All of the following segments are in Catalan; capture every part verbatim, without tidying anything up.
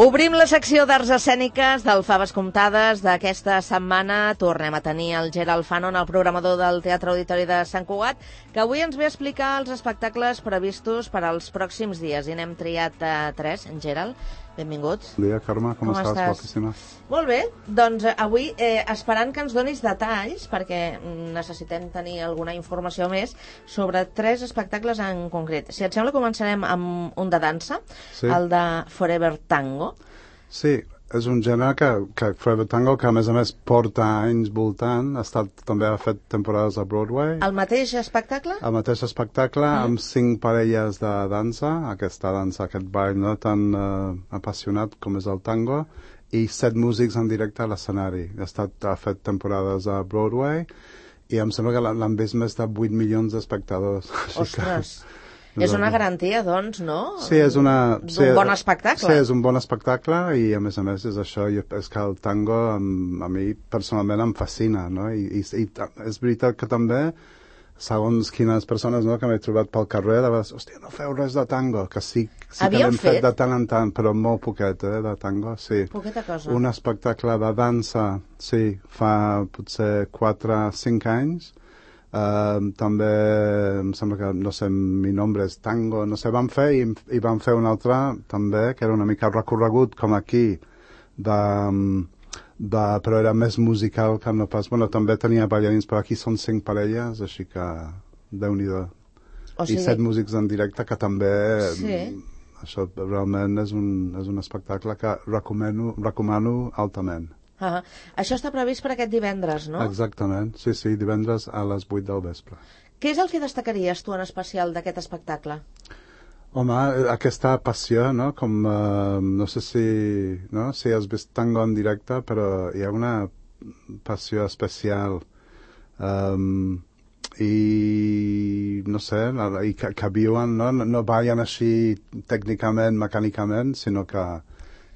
Obrim la secció d'arts escèniques del Faves Comptades d'aquesta setmana. Tornem a tenir el Gerald Fanon, el programador del Teatre Auditori de Sant Cugat, que avui ens ve a explicar els espectacles previstos per als pròxims dies. I n'hem triat uh, tres. En Gerald, benvinguts. Bon dia, Carme, com, com estàs? estàs? Guapíssima. Molt bé, doncs avui eh, esperant que ens donis detalls, perquè necessitem tenir alguna informació més sobre tres espectacles en concret. Si et sembla, començarem amb un de dansa, sí. El de Forever Tango. Sí, és un gènere que, que Forever Tango, que a més a més porta anys voltant, ha estat, també ha fet temporades a Broadway. El mateix espectacle? El mateix espectacle, mm. amb cinc parelles de dansa, aquesta dansa, aquest ball no tan uh, apassionat com és el tango, i set músics en directe a l'escenari. Ha, estat, ha fet temporades a Broadway i em sembla que l'han vist més de vuit milions d'espectadors. Ostres! És una garantia, doncs, no? Sí, és una... D'un sí, bon espectacle. Sí, és un bon espectacle i, a més a més, és això. Jo, és que el tango, a, a mi, personalment, em fascina, no? I, i, i és veritat que també, segons quines persones no, que m'he trobat pel carrer, de vegades, hòstia, no feu res de tango, que sí, sí que l'hem fet? fet de tant en tant, però molt poquet, eh, de tango, sí. Poqueta cosa. Un espectacle de dansa, sí, fa potser quatre o cinc anys. Uh, també em sembla que, no sé, mi nombre és tango, no sé, vam fer i, i vam fer un altre també, que era una mica recorregut com aquí, de, de, però era més musical que no pas, bueno, també tenia ballarins, però aquí són cinc parelles, així que Déu-n'hi-do. O sigui... I set músics en directe, que també, sí. Això realment és un, és un espectacle que recomano, recomano altament. Ah, això està previst per aquest divendres, no? Exactament, sí, sí, divendres a les vuit del vespre. Què és el que destacaries tu en especial d'aquest espectacle? Home, aquesta passió, no? Com, uh, no sé si, no? si has vist tango en directe, però hi ha una passió especial. Um, I, no sé, i que, que viuen, no? No ballen així tècnicament, mecànicament, sinó que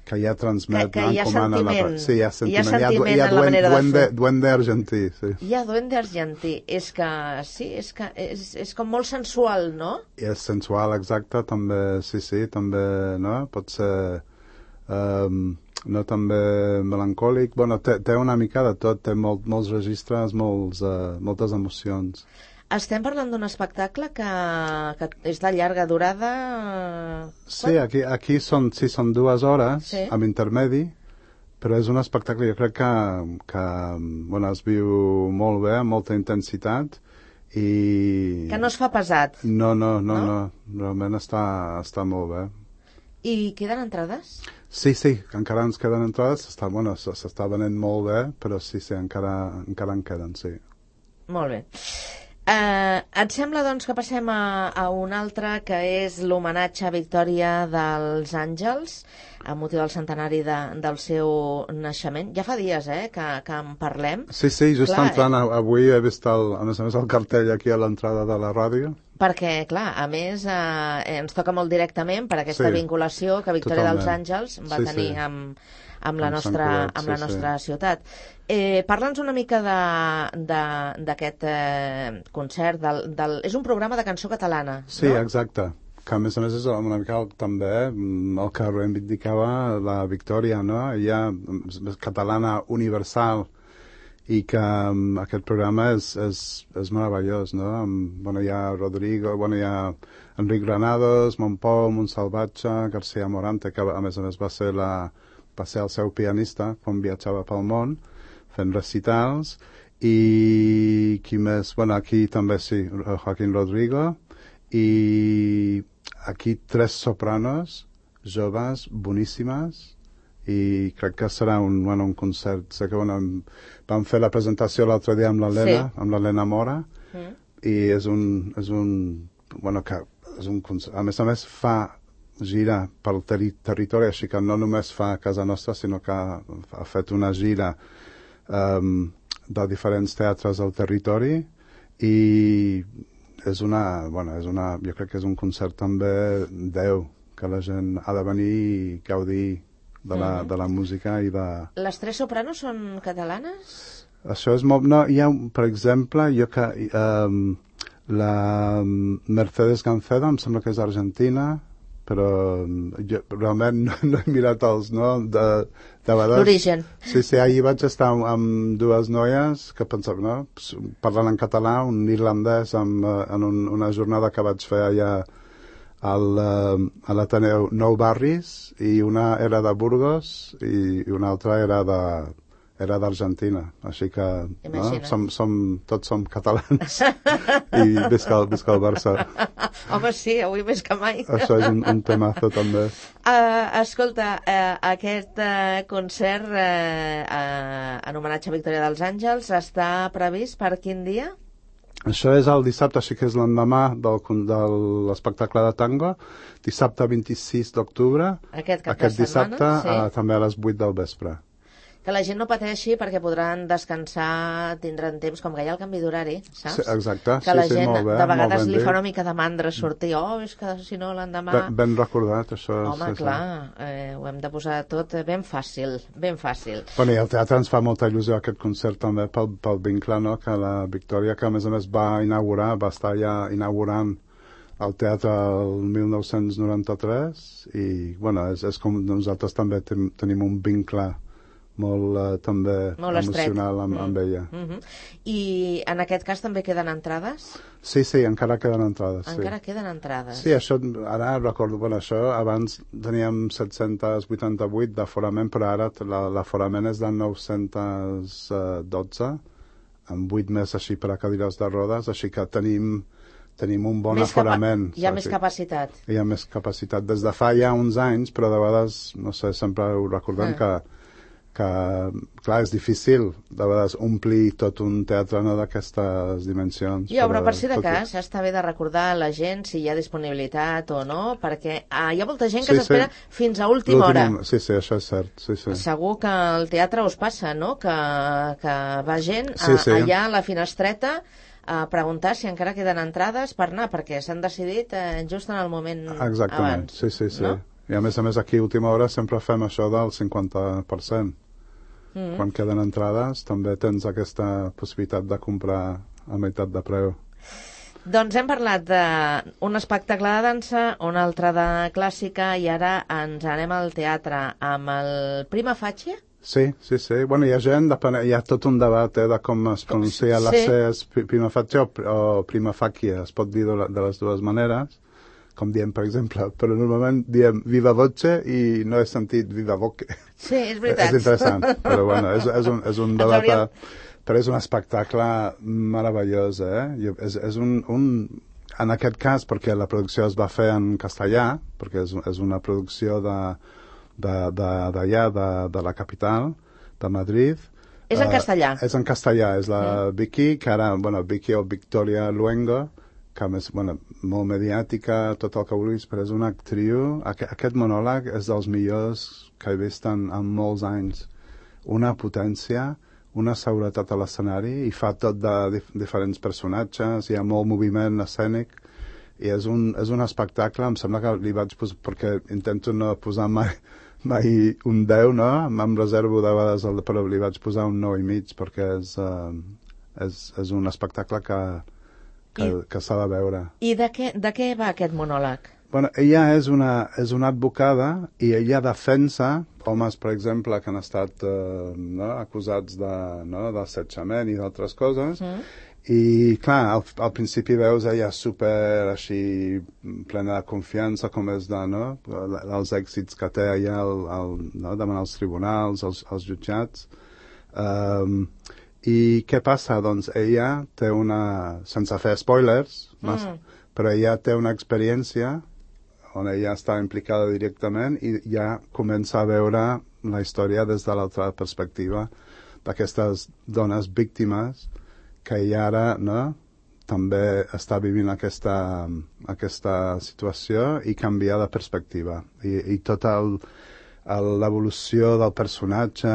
que ja transmet, que, que hi ha sentiment, la... sí, hi ha sentiment, hi ha sentiment hi ha, hi ha en la manera duende, de fer. Duende argentí, sí. Hi ha duende argentí, és que, sí, és que és, és com molt sensual, no? I és sensual, exacte, també, sí, sí, també, no? Pot ser, um, no, també melancòlic, bueno, té, té una mica de tot, té molt, molts registres, molts, uh, moltes emocions. Estem parlant d'un espectacle que, que és de llarga durada... Sí, aquí, aquí són, sí, són dues hores, sí. Amb intermedi, però és un espectacle, jo crec que, que bueno, es viu molt bé, amb molta intensitat, i... Que no es fa pesat. No, no, no, no, no. Realment està, està molt bé. I queden entrades? Sí, sí, encara ens queden entrades, s'està bueno, s'està venent molt bé, però sí, sí, encara, encara en queden, sí. Molt bé. Uh, et sembla, doncs, que passem a, a un altre, que és l'homenatge a Victòria dels Àngels, a motiu del centenari de, del seu naixement. Ja fa dies, eh, que, que en parlem. Sí, sí, just clar, entrant, eh? Avui he vist, el, a més a més, el cartell aquí a l'entrada de la ràdio. Perquè, clar, a més, eh, ens toca molt directament per aquesta sí, vinculació que Victòria totalment. dels Àngels va sí, tenir sí. amb, amb, la nostra, Cugat, amb sí, la nostra sí. ciutat. Eh, Parla'ns una mica d'aquest eh, concert. Del, del... És un programa de cançó catalana, sí, no? Sí, exacte. Que a més a més és una mica el, també el que reivindicava la Victòria, no? Ella és catalana universal i que um, aquest programa és, és, és meravellós, no? Um, bueno, hi ha Rodrigo, bueno, hi ha Enric Granados, Montpou, Montsalvatge, García Morante, que a més a més va ser, la, va ser el seu pianista quan viatjava pel món, fent recitals, i qui més? Bueno, aquí també sí, Joaquín Rodrigo, i aquí tres sopranos joves boníssimes, i crec que serà un, bueno, un concert. Sé que bueno, vam fer la presentació l'altre dia amb l'Helena, sí. amb l'Helena Mora, mm. i és un, és un, bueno, que és un concert. A més a més fa gira pel terri territori, així que no només fa a casa nostra, sinó que ha fet una gira um, de diferents teatres al territori, i és una, bueno, és una, jo crec que és un concert també Déu, que la gent ha de venir i gaudir de la, mm. de la música i de... Les tres sopranos són catalanes? Això és molt... No, hi ha, per exemple, jo que... Um, la Mercedes Gancedo, em sembla que és argentina, però jo realment no, no he mirat els, no? De, de vegades... L'origen. Sí, sí, ahir vaig estar amb, amb dues noies que pensava, no? Parlant en català, un irlandès amb, en un, una jornada que vaig fer allà al, a l'Ateneu Nou Barris, i una era de Burgos i, i una altra era de era d'Argentina, així que no? som, som, tots som catalans i visca, visca el Barça. Home, sí, avui més que mai. Això és un, un temazo també. Uh, escolta, uh, aquest uh, concert uh, uh, en homenatge a Victòria dels Àngels està previst per quin dia? Això és el dissabte, així que és l'endemà del, de l'espectacle de tango, dissabte vint-i-sis d'octubre, aquest, aquest dissabte, sí. uh, també a les vuit del vespre. Que la gent no pateixi perquè podran descansar, tindran temps, com que hi ha el canvi d'horari, saps? Sí, exacte, que la sí, gent sí, molt bé, de vegades molt ben li fa dit. una mica de mandra sortir, oh, és que si no l'endemà... Ben, ben recordat, això. Home, sí, clar, eh, ho hem de posar tot ben fàcil, ben fàcil. Bueno, i al teatre ens fa molta il·lusió aquest concert també pel, pel vincle, no?, que la Victòria, que a més a més va inaugurar, va estar ja inaugurant el teatre el mil nou-cents noranta-tres, i, bueno, és, és com nosaltres també ten, tenim un vincle molt uh, també molt emocional amb, mm. amb ella. Mm-hmm. I en aquest cas també queden entrades? Sí, sí, encara queden entrades. Encara sí. queden entrades. Sí, això, ara recordo, bueno, això abans teníem set-cents vuitanta-vuit d'aforament, però ara l'aforament és de nou-cents dotze, amb vuit més així per a cadires de rodes, així que tenim, tenim un bon més aforament. Hi ha més capacitat. Hi ha més capacitat. Des de fa ja uns anys, però de vegades, no sé, sempre ho recordem ah. que que, clar, és difícil de vegades omplir tot un teatre, no, d'aquestes dimensions. Jo, però per si de cas, i... està bé de recordar a la gent si hi ha disponibilitat o no, perquè ah, hi ha molta gent que sí, s'espera sí. fins a última hora. Sí, sí, això és cert. Sí, sí. Segur que al teatre us passa, no?, que, que va gent a, sí, sí. allà a la finestreta a preguntar si encara queden entrades per anar, perquè s'han decidit eh, just en el moment Exactament. abans. Sí, sí, sí. No? I a més a més aquí a última hora sempre fem això del cinquanta per cent. Mm. Quan queden entrades també tens aquesta possibilitat de comprar a meitat de preu. Doncs hem parlat d'un espectacle de dansa, un altre de clàssica, i ara ens anem al teatre amb el Prima Facie. Sí, sí, sí. Bueno, hi ha gent, depèn, hi ha tot un debat eh, de com es pronuncia la C, és Prima Facie o, o Prima Facie, es pot dir de, de les dues maneres, com diem, per exemple, però normalment diem viva voce i no he sentit viva voce. Sí, és veritat. És interessant, però bueno, és, és, un, és un debat, hauríem... però és un espectacle meravellós, eh? És, és un, un, en aquest cas, perquè la producció es va fer en castellà, perquè és, és una producció de, de, de, d'allà, de, de la capital, de Madrid. És en castellà. Uh, és en castellà, és la mm. Vicky, que ara, bueno, Vicky o Victoria Luengo, que més, bueno, molt mediàtica, tot el que vulguis, però és una actriu. Aqu aquest monòleg és dels millors que he vist en, en molts anys. Una potència, una seguretat a l'escenari, i fa tot de dif diferents personatges, hi ha molt moviment escènic, i és un, és un espectacle, em sembla que li vaig posar, perquè intento no posar mai, mai un deu, no? Em reservo de vegades, el, però li vaig posar un nou i mig, perquè és, uh, és, és un espectacle que que, que s'ha de veure. I de què, de què va aquest monòleg? Bueno, ella és una, és una advocada i ella defensa homes, per exemple, que han estat eh, no, acusats de, no, d'assetjament i d'altres coses. Mm. I, clar, al, al principi veus ella super així plena de confiança, com és de, no, els èxits que té allà el, el, no, davant els tribunals, els, els jutjats. Um, I què passa? Doncs ella té una, sense fer spoilers, massa, mm. però ella té una experiència on ella està implicada directament i ja comença a veure la història des de l'altra perspectiva d'aquestes dones víctimes que ella ara, no, també està vivint aquesta, aquesta situació i canvia de perspectiva. I, i tota l'evolució del personatge.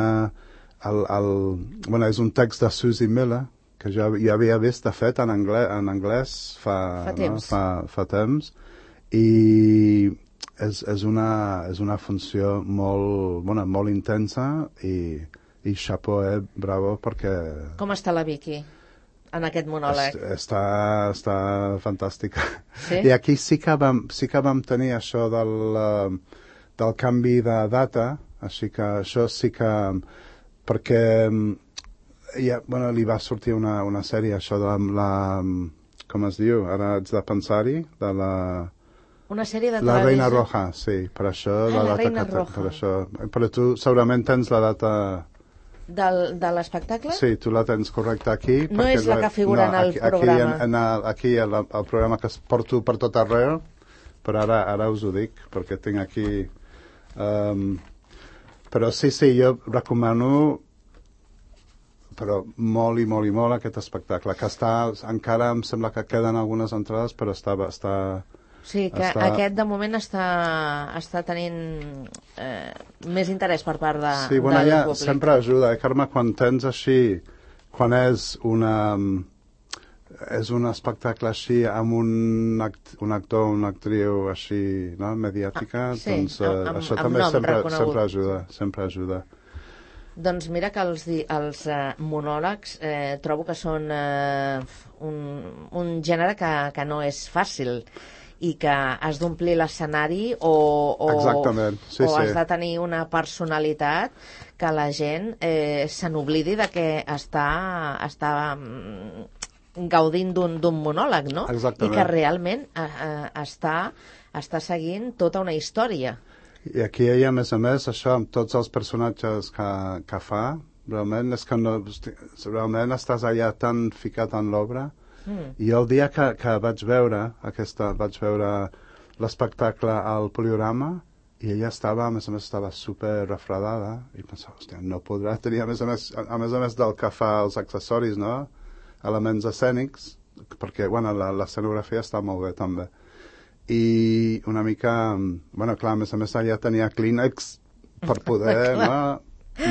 El, el, bueno, és un text de Susie Miller, que jo, jo havia vist, de fet, en anglès, en anglès fa, fa, temps. No? fa, fa temps, i és, és, una, és una funció molt, bueno, molt intensa, i, i chapeau, eh, bravo, perquè... Com està la Vicky? en aquest monòleg. Està, està fantàstica. Sí? I aquí sí que vam, sí que vam tenir això del, uh, del canvi de data, així que això sí que... perquè ja, bueno, li va sortir una, una sèrie, això de la, la... com es diu? Ara haig de pensar-hi, de la... Una sèrie de La televisió? Reina Roja, sí, per això ah, la, la data Reina que Roja. per això. Però tu segurament tens la data... Del, de l'espectacle? Sí, tu la tens correcta aquí. No és la que figura no, en el aquí, programa. Aquí, en, en el, aquí el, el programa que es porto per tot arreu, però ara, ara us ho dic, perquè tinc aquí... Um, però sí, sí, jo recomano però molt i molt i molt aquest espectacle, que està, encara em sembla que queden algunes entrades, però està... està Sí, que està... aquest de moment està, està tenint eh, més interès per part de, sí, bueno, del ja públic. Sempre ajuda, eh, Carme, quan tens així, quan és una... és un espectacle així amb un, act, un actor, una actriu així, no?, mediàtica, ah, sí, doncs eh, amb, això amb també nom sempre, reconegut. sempre ajuda, sempre ajuda. Doncs mira que els, els eh, monòlegs eh, trobo que són eh, un, un gènere que, que no és fàcil i que has d'omplir l'escenari o, o, sí, o has sí. de tenir una personalitat que la gent eh, se n'oblidi de que està, està mm, gaudint d'un monòleg, no? Exactament. I que realment eh, eh, està, està seguint tota una història. I aquí ella, a més a més, això amb tots els personatges que, que fa, realment és que no, realment estàs allà tan ficat en l'obra. Mm. I el dia que, que vaig veure aquesta, vaig veure l'espectacle al Poliorama i ella estava, a més a més, estava super refredada i pensava, hòstia, no podrà tenir, a més a més, a, a més a més del que fa els accessoris, no?, elements escènics, perquè, bueno, l'escenografia està molt bé, també. I una mica, bueno, clar, a més a més, ella tenia clínex per poder, no?,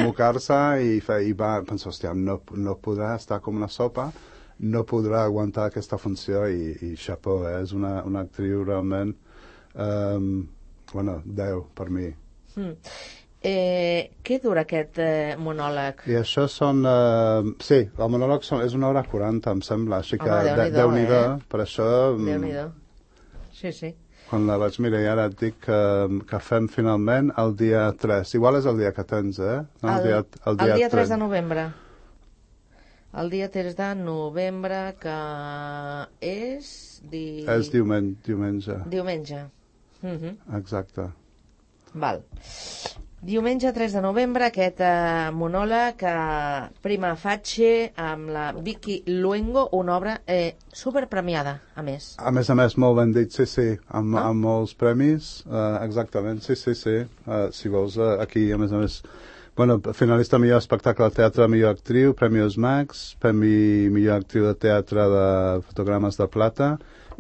mocar-se i, fer, i va pensar, hòstia, no, no podrà estar com una sopa, no podrà aguantar aquesta funció i, i xapó, eh? És una, una actriu realment, um, bueno, deu per mi. Mm. Eh, què dura aquest eh, monòleg? I això són, uh, sí, el monòleg són, és una hora quaranta, em sembla, així que Home, Déu-n'hi-do, eh? per això... Déu-n'hi-do, sí, sí. Quan la vaig mirar i ara et dic que, que fem finalment el dia tres. Igual és el dia que tens, eh? No, el, el, dia, el, dia el dia tres de novembre. El dia tres de novembre, que és... Di... És diumen, diumenge. Diumenge. Uh-huh. Exacte. Val. Diumenge tres de novembre, aquest eh, monòleg eh, Prima Facie amb la Vicky Luengo, una obra eh, superpremiada, a més. A més a més, molt ben dit, sí, sí, amb, ah? amb molts premis, uh, exactament, sí, sí, sí. Uh, si vols, uh, aquí, a més a més, bueno, finalista millor espectacle de teatre, millor actriu, Premios Max, premi millor actriu de teatre de fotogrames de plata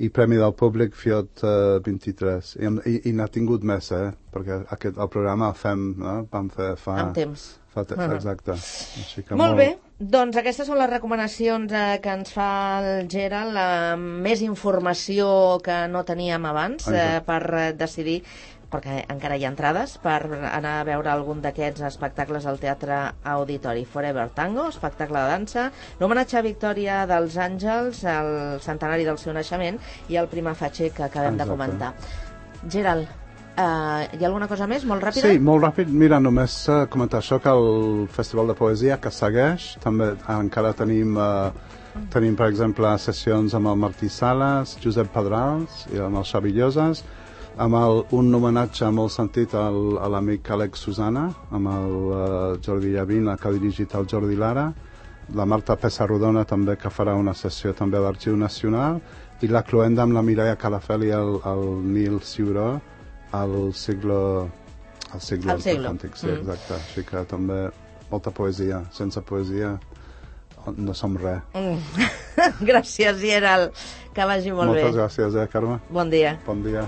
i premi del públic Fiot uh, vint-i-tres. I, i, i n'ha tingut més, eh? Perquè aquest, el programa el fem, no? Vam fer fa... Amb temps. Fa te uh-huh. Exacte. Així que molt, molt bé. Doncs aquestes són les recomanacions eh, que ens fa el Gerald, la més informació que no teníem abans eh, per eh, decidir, perquè encara hi ha entrades, per anar a veure algun d'aquests espectacles al Teatre Auditori. Forever Tango, espectacle de dansa, l'homenatge a Victòria dels Àngels, el centenari del seu naixement, i el Prima Facie que acabem Exacte. de comentar. Gerald, Uh, hi ha alguna cosa més, molt ràpida? Sí, molt ràpid. Mira, només uh, comentar això, que el Festival de Poesia, que segueix, també encara tenim, uh, tenim per exemple, sessions amb el Martí Sales, Josep Pedrals i amb el Xavi Lloses, amb el, un homenatge molt sentit al, a l'amic Àlex Susana, amb el uh, Jordi Llavina, que ha dirigit el Jordi Lara, la Marta Pessarrodona també, que farà una sessió també a l'Arxiu Nacional, i la cloenda amb la Mireia Calafel i el, el Nil Ciuró, al siglo al siglo, al siglo. Antic, sí, mm. exacte. Així que també molta poesia. Sense poesia no som res. Mm. Gràcies, Gerald. Que vagi molt Moltes bé. Moltes gràcies, eh, Carme? Bon dia. Bon dia.